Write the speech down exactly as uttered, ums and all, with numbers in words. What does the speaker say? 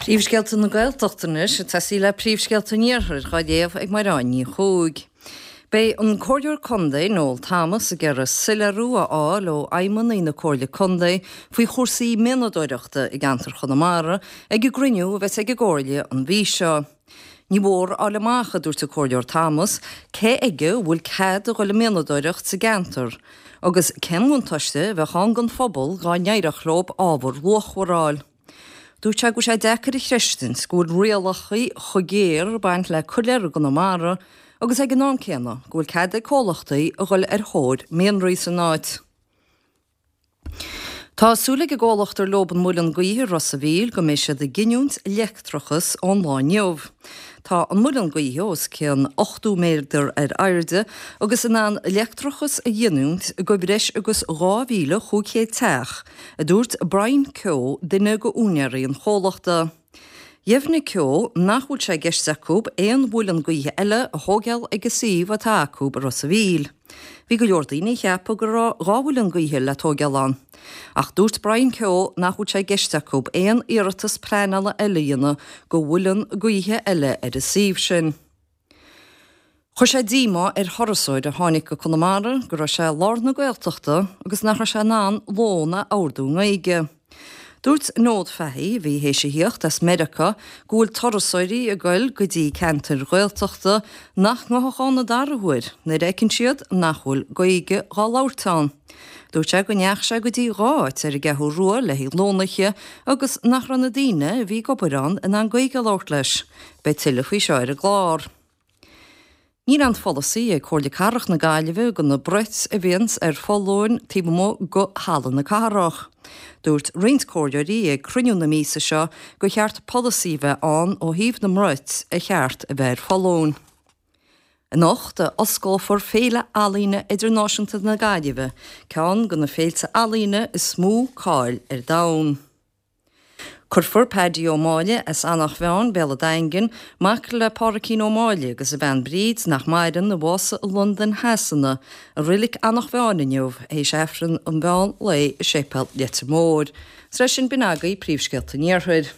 Príomhscéalta na Gaeltachta anois ag tosaí le príomhscéalta an Iarthair dhá léamh ag Mairéad Ní Chuaig. Beidh an Comhairleoir Contae Noel Thomas ag iarraidh soiléiriú a fháil ó fheidhmeannaigh na Comhairle Contae faoi chúrsaí mianadóireachta i gceantar Chonamara ag an gcruinniú a bheas ag an gComhairle an mhí seo. Ní mór a fháil amach, a dúirt an Comhairleoir Thomas, cé aige a bhfuil cead a dhul ag mianadóireacht sa gceantar agus cén bhuntáiste a bheadh ann don phobal dá n-éireodh leo ábhar luachmhar a fháil. Dúirt sé go bhfuil sé deacair a chreidstint go bhfuil rialacha chomh géar ag baint le coiléar i gConamara agus ag an am céanna go bhfuil cead ag comhlachtaí a dhul ar thóir mianraí san áit. Tá súil ag an gcomhlacht ar leo an muileann gaoithe i Ros a' Mhíl go mbeidh siad ag giniúint leictreachas ón lá inniu. Tá an muileann gaoithe os cionn ochtó méadar ar airde agus in ann leictreachas a ghiniúint go breis agus dhá mhíle chúig chéad teach, a dúirt Brian Keogh, duine de úinéirí an chomhlachta. Dheimhnigh Keogh nach bhfuil sé i gceist acu aon mhuileann gaoithe eile a thógáil ag an suíomh atá acu i Ros a' Mhíl. Bhí go leor daoine a cheap go raibh dhá mhuileann gaoithe le tógáil ann. Ach dúirt Brian Keogh nach bhfuil sé i gceist acu aon iarratas pleanála eile a dhéanamh go mhuileann gaoithe eile ar an suíomh sin. Chuir sé díomá ar thurasóir a tháinig go Conamara go raibh sé i lár na Gaeltachta agus nach raibh sé in ann lón a ordú i nGaeilge. Dúirt Nód Fahey, a bhí théis a thíocht as Meiriceá, go bhfuil turasóirí ag goil go dtí ceantair Ghaeltachta nach ngabhfadh ann an dara huair nuair a fheiceann siad nach bhfuil Gaeilge dhá labhairt ann. Dúirt sé go ndeachaigh sé go dtí dhá áit ar an gCeathrú Rua le haghaidh lón a ithe agus nach raibh na daoine a bhí ag obair ann in ann Gaeilge a labhairt leis. Beidh tuilleadh faoi seo ar an gclár. Níl aon pholasaí ag Comhairle Cathrach na Gaillimhe go na broit a bhíonns ar foluain taobh amuigh go Halla na Cathrach. Dúirt roinnt comhairleoirí ag cruinniú na míosa seo gur cheart polasaí a bheith ann ó thaobh na mbroit a cheart a bheith ar foluain. Anocht a osclófar Féile Ealaíne Idirnáisiúnta na Gaillimhe, ceann de na féilte ealaíne is mó cáil ar domhan. Cuirfear Paddy Ó Máille as Eanach Mheáin, Béal an Daingin, mac le Pádraicín Ó Máille agus a bhean Bríd nach maireann, a bhásaigh i Londain Shasana, i reilig Eanach Mheáin inniu, théis Aifreann an mheán lae i Séipéal Leitir Móir. Is leis sin b'in agaibh príomhscéalta an Iarthair.